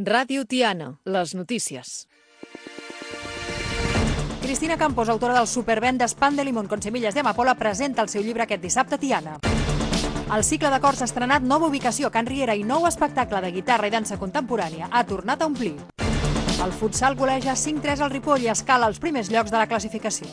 Ràdio Tiana, les notícies. Cristina Campos, autora del supervendes Pan de Limón con semillas de amapola, presenta el seu llibre aquest dissabte a Tiana. El cicle de cors ha estrenat nova ubicació a Can Riera i nou espectacle de guitarra i dansa contemporània ha tornat a omplir. El futsal goleja 5-3 al Ripoll i escala els primers llocs de la classificació.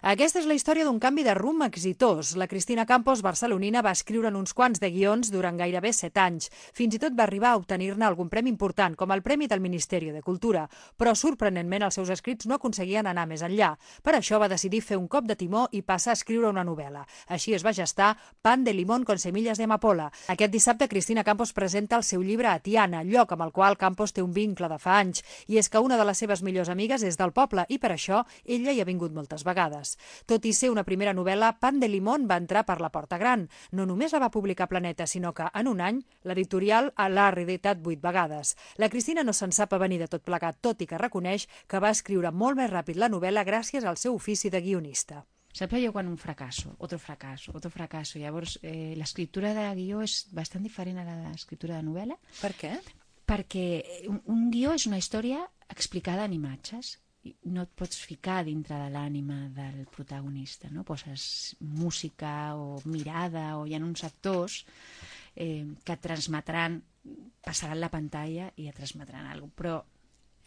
Aquesta és la història d'un canvi de rumb exitós. La Cristina Campos, barcelonina, va escriure uns quants de guions durant gairebé 7 anys. Fins i tot va arribar a obtenir-ne algun premi important, com el Premi del Ministeri de Cultura. Però, sorprenentment, els seus escrits no aconseguien anar més enllà. Per això va decidir fer un cop de timó i passar a escriure una novel·la. Així es va gestar Pan de Limón con semillas de amapola. Aquest dissabte, Cristina Campos presenta el seu llibre a Tiana, lloc amb el qual Campos té un vincle de fa anys. I és que una de les seves millors amigues és del poble i per això ella hi ha vingut moltes vegades. Tot i ser una primera novel·la, Pan de Limón va entrar per la porta gran. No només la va publicar Planeta, sinó que en un any l'editorial l'ha reeditat 8 vegades. La Cristina no se'n sap avenir de tot plegat, tot i que reconeix que va escriure molt més ràpid la novel·la gràcies al seu ofici de guionista. Sempre jo quan un fracasso, otro fracasso. Llavors, l'escriptura de guió és bastant diferent a la d'escriptura de novel·la. Per què? Perquè un guió és una història explicada en imatges. No et pots ficar dintre de l'ànima del protagonista, no? Poses música o mirada o hi ha uns actors que et transmetran, passaran la pantalla i et transmetran alguna cosa, però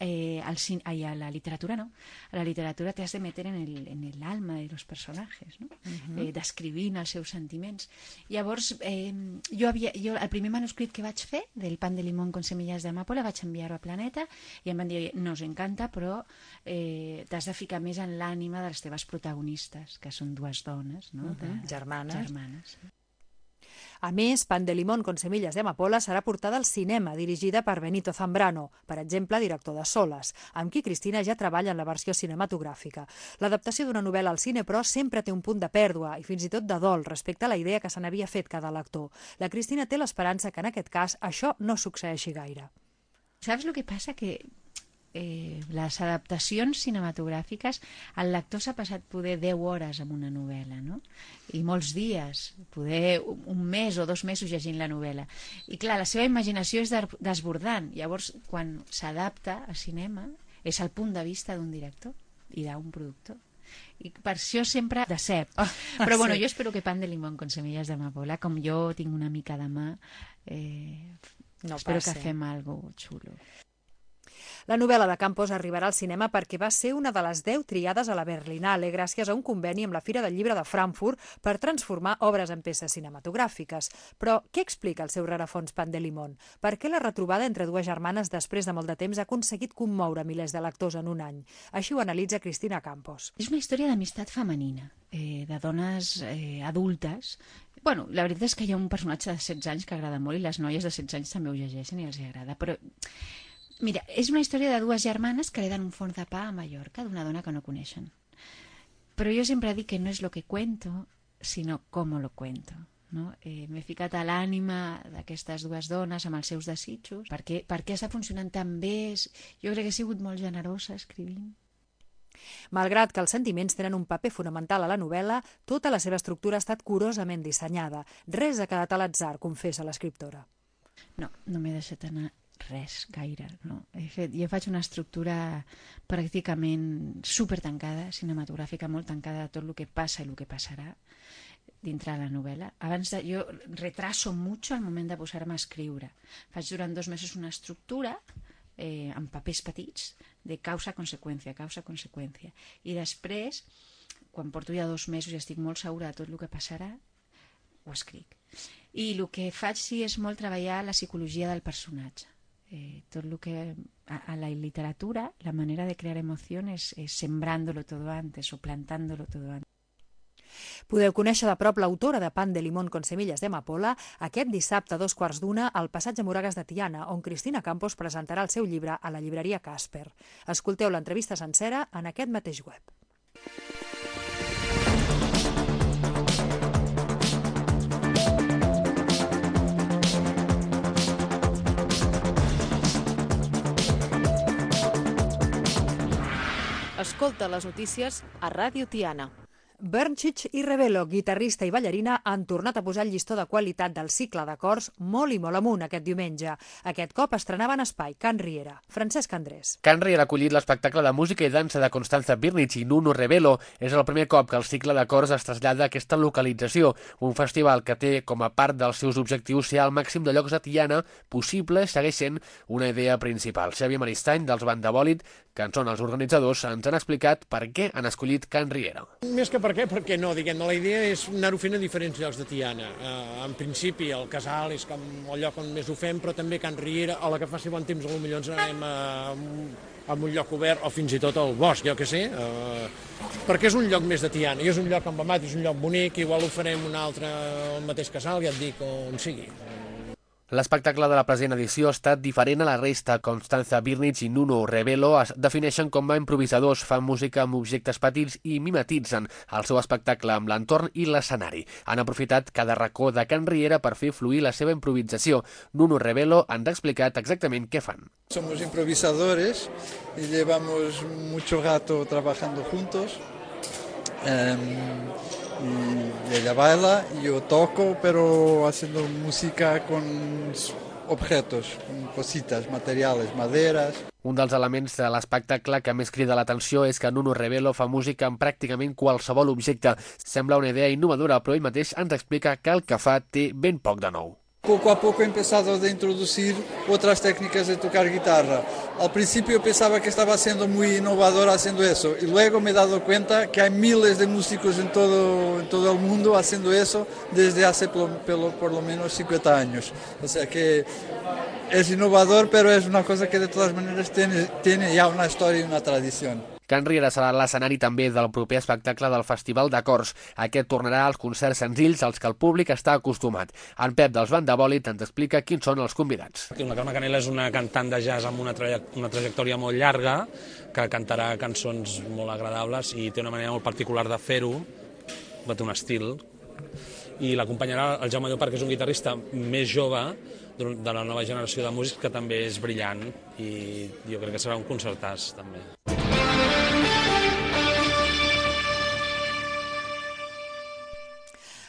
a la literatura no. A la literatura te has de meter en el alma de los personajes, no? Descrivint els seus sentiments. Llavors, jo el primer manuscrit que vaig fer del Pan de Limón con semillas de amapola vaig enviar-ho a Planeta i em van dir, nos encanta, però t'has de ficar més en l'ànima de les teves protagonistes, que són dues dones, no? Germanes. A més, Pan de Limón con semillas de amapola serà portada al cinema, dirigida per Benito Zambrano, per exemple, director de Soles, amb qui Cristina ja treballa en la versió cinematogràfica. L'adaptació d'una novel·la al cine, però, sempre té un punt de pèrdua i fins i tot de dol respecte a la idea que se n'havia fet cada lector. La Cristina té l'esperança que en aquest cas això no succeeixi gaire. Saps el que passa? Que les adaptacions cinematogràfiques, el lector s'ha passat poder 10 hores amb una novel·la, no? I molts dies, poder un mes o 2 mesos llegint la novel·la. I clar, la seva imaginació és desbordant. Llavors, quan s'adapta a cinema, és el punt de vista d'un director i d'un productor. I per això sempre decep. Però bueno, jo espero que Pan de Limón con semillas de amapola, com jo tinc una mica de mà, espero que fem alguna cosa xulo. La novel·la de Campos arribarà al cinema perquè va ser una de les 10 triades a la Berlinale gràcies a un conveni amb la Fira del Llibre de Frankfurt per transformar obres en peces cinematogràfiques. Però què explica el seu rerefons Pan de Limón? Per què la retrobada entre dues germanes després de molt de temps ha aconseguit commoure milers de lectors en un any? Així ho analitza Cristina Campos. És una història d'amistat femenina, de dones adultes. Bueno, la veritat és que hi ha un personatge de 16 anys que agrada molt i les noies de 16 anys també ho llegeixen i els agrada, però mira, és una història de dues germanes que hereden un forn de pa a Mallorca d'una dona que no coneixen. Però jo sempre dic que no és lo que cuento, sinó com lo cuento. No? M'he ficat a l'ànima d'aquestes dues dones amb els seus desitjos. Per què està funcionant tan bé? Jo crec que he sigut molt generosa escrivint. Malgrat que els sentiments tenen un paper fonamental a la novel·la, tota la seva estructura ha estat curosament dissenyada. Res ha quedat a l'atzar, confessa l'escriptora. No m'he deixat anar res gaire, no? Jo faig una estructura pràcticament super tancada, cinematogràfica, molt tancada de tot el que passa i el que passarà dintre de la novel·la. Jo retraso mucho al moment de posar-me a escriure. Faig durant 2 mesos una estructura amb papers petits de causa-conseqüència. I després, quan porto ja 2 mesos i estic molt segura de tot el que passarà, ho escric. I el que faig sí és molt treballar la psicologia del personatge. Tot el que a la literatura, la manera de crear emociones es sembrándolo todo antes o plantándolo todo antes. Podeu conèixer de prop l'autora de Pan de Limón con semillas de amapola aquest dissabte a 2:15 al Passatge Moragas de Tiana, on Cristina Campos presentarà el seu llibre a la llibreria Casper. Escolteu l'entrevista sencera en aquest mateix web. Escolta les notícies a Ràdio Tiana. Bernchich i Rebelo, guitarrista i ballarina, han tornat a posar el llistó de qualitat del cicle d'acords molt i molt amunt aquest diumenge. Aquest cop estrenaven espai Can Riera. Francesc Andrés. Can Riera ha acollit l'espectacle de música i dansa de Constanza Birnich i Nuno Rebelo. És el primer cop que el cicle d'acords es trasllada a aquesta localització, un festival que té com a part dels seus objectius ser el màxim de llocs de Tiana possible, segueix sent una idea principal. Xavier Maristany, dels Bandabòlit, que en són els organitzadors, ens han explicat per què han escollit Can Riera. Més que per què, perquè no, diguem-ne, la idea és anar-ho fent a diferents llocs de Tiana. En principi, el Casal és com el lloc on més ho fem, però també Can Riera, a la que faci bon temps, potser ens anem a un lloc obert, o fins i tot al bosc, jo què sé, perquè és un lloc més de Tiana, i és un lloc emblemat, és un lloc bonic, igual ho farem un altre al mateix Casal, ja et dic, on sigui. L'espectacle de la present edició ha estat diferent a la resta. Constanza Birnich i Nuno Rebelo es defineixen com a improvisadors, fan música amb objectes petits i mimetitzen el seu espectacle amb l'entorn i l'escenari. Han aprofitat cada racó de Can Riera per fer fluir la seva improvisació. Nuno Rebelo ens ha explicat exactament què fan. Somos improvisadores y llevamos mucho rato trabajando juntos. Y ella baila y yo toco, pero haciendo música con objetos, con cositas, materiales, maderas. Un dels elements de l'espectacle que més crida l'atenció és que Nuno Rebelo fa música amb pràcticament qualsevol objecte. Sembla una idea innovadora, però ell mateix ens explica que el que fa té ben poc de nou. Poco a poco he empezado a introducir otras técnicas de tocar guitarra. Al principio pensaba que estaba siendo muy innovador haciendo eso y luego me he dado cuenta que hay miles de músicos en todo el mundo haciendo eso desde hace por lo menos 50 años. O sea que es innovador, pero es una cosa que de todas maneras tiene ya una historia y una tradición. Can Riera serà l'escenari també del proper espectacle del Festival d'Acords. Aquest tornarà als concerts senzills als que el públic està acostumat. En Pep dels Bandabòlit ens explica quins són els convidats. La Carme Canela és una cantant de jazz amb una trajectòria molt llarga, que cantarà cançons molt agradables i té una manera molt particular de fer-ho, té un estil. I l'acompanyarà el Jaume Llopart, que és un guitarrista més jove, de la nova generació de músics, que també és brillant i jo crec que serà un concertàs també.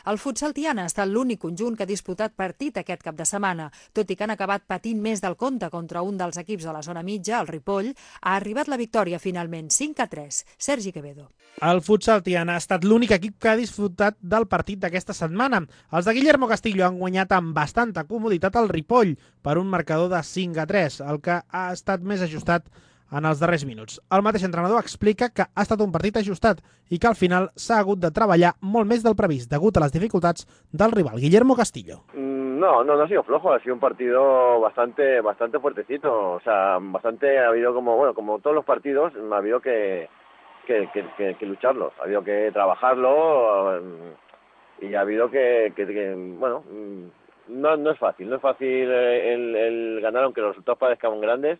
El futsal Tiana ha estat l'únic conjunt que ha disputat partit aquest cap de setmana. Tot i que han acabat patint més del compte contra un dels equips de la zona mitja, el Ripoll, ha arribat la victòria finalment, 5-3. Sergi Quevedo. El futsal Tiana ha estat l'únic equip que ha disfrutat del partit d'aquesta setmana. Els de Guillermo Castillo han guanyat amb bastanta comoditat el Ripoll per un marcador de 5-3, el que ha estat més ajustat en els darrers minuts. El mateix entrenador explica que ha estat un partit ajustat i que al final s'ha hagut de treballar molt més del previst degut a les dificultats del rival, Guillermo Castillo. No ha sido flojo, ha sido un partido bastante fuertecito, o sea, ha habido como todos los partidos, ha habido que lucharlos, ha habido que trabajarlo y ha habido no es fácil el ganar, aunque los resultados parezcan grandes.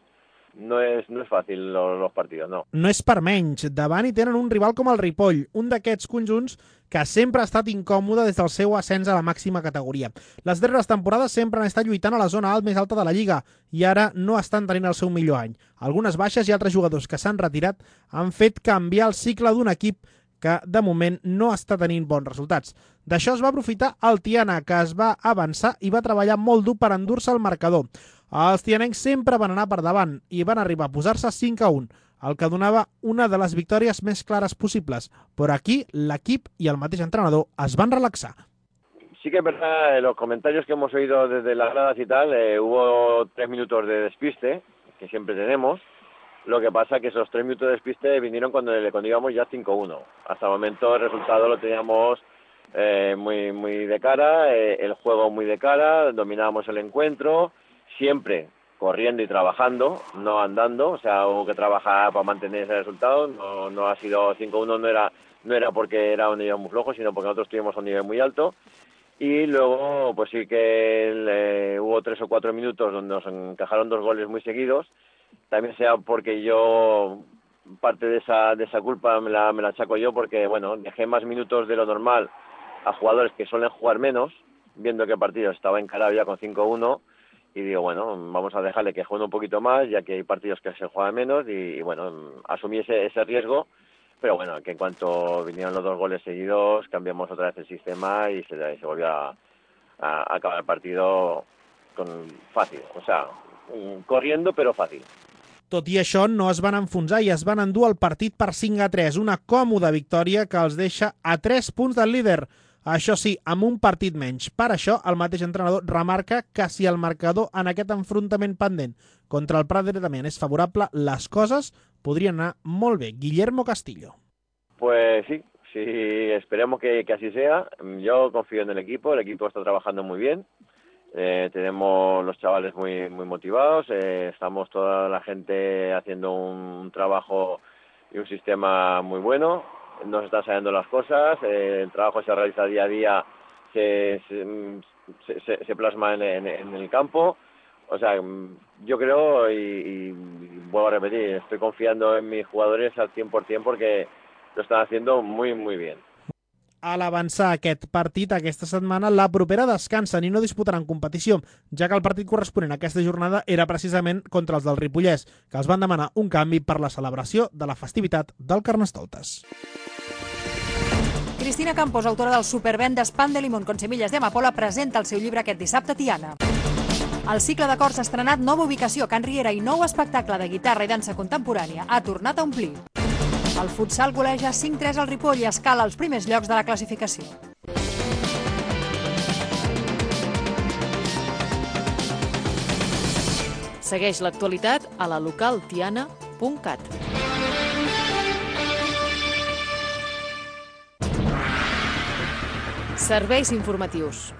No és fàcil els partits, no. No és per menys. Davant hi tenen un rival com el Ripoll, un d'aquests conjunts que sempre ha estat incòmode des del seu ascens a la màxima categoria. Les darreres temporades sempre han estat lluitant a la zona alt més alta de la Lliga i ara no estan tenint el seu millor any. Algunes baixes i altres jugadors que s'han retirat han fet canviar el cicle d'un equip que de moment no està tenint bons resultats. D'això es va aprofitar el Tiana, que es va avançar i va treballar molt dur per endur-se el marcador. Els tianencs sempre van anar per davant i van arribar a posar-se 5-1, el que donava una de les victòries més clares possibles. Però aquí l'equip i el mateix entrenador es van relaxar. Sí que es verdad, los comentarios que hemos oído desde las gradas y tal, hubo 3 minutos de despiste, que siempre tenemos. Lo que pasa que esos 3 minutos de despiste vinieron cuando íbamos ya 5-1. Hasta el momento el resultado lo teníamos muy de cara, el juego muy de cara, dominábamos el encuentro, siempre corriendo y trabajando, no andando, o sea, hubo que trabajar para mantener ese resultado, no ha sido 5-1, no era porque era un nivel muy flojo, sino porque nosotros tuvimos un nivel muy alto. Y luego, pues sí que hubo 3 o 4 minutos donde nos encajaron 2 goles muy seguidos, también sea porque yo, parte de esa culpa me la achaco yo, porque bueno, dejé más minutos de lo normal a jugadores que suelen jugar menos, viendo que el partido estaba encarado ya con 5-1, y digo, bueno, vamos a dejarle que juegue un poquito más, ya que hay partidos que se juegan menos, y bueno, asumí ese riesgo, pero bueno, que en cuanto vinieron los 2 goles seguidos, cambiamos otra vez el sistema y se volvió a acabar el partido fàcil, o sea, corriendo però fàcil. Tot i això, no es van enfonsar i es van endur el partit per 5-3, una còmoda victòria que els deixa a 3 punts del líder. Això sí, amb un partit menys. Per això, el mateix entrenador remarca que si el marcador en aquest enfrontament pendent contra el Prat de Damián és favorable, les coses podrien anar molt bé. Guillermo Castillo. Pues sí, esperemos que así sea. Yo confío en el equipo está trabajando muy bien. Tenemos los chavales muy motivados, estamos toda la gente haciendo un trabajo y un sistema muy bueno, nos están saliendo las cosas, el trabajo se realiza día a día, se plasma en el campo, o sea, yo creo y vuelvo a repetir, estoy confiando en mis jugadores al 100% porque lo están haciendo muy bien. A l'avançar aquest partit aquesta setmana, la propera descansen i no disputaran competició, ja que el partit corresponent a aquesta jornada era precisament contra els del Ripollès, que els van demanar un canvi per la celebració de la festivitat del Carnestoltes. Cristina Campos, autora del supervendes Pan de Limón con semillas de amapola, presenta el seu llibre aquest dissabte a Tiana. El cicle de cors ha estrenat nova ubicació a Can Riera i nou espectacle de guitarra i dansa contemporània ha tornat a omplir. El futsal goleja 5-3 al Ripoll i escala als primers llocs de la classificació. Segueix l'actualitat a la localtiana.cat. Serveis informatius.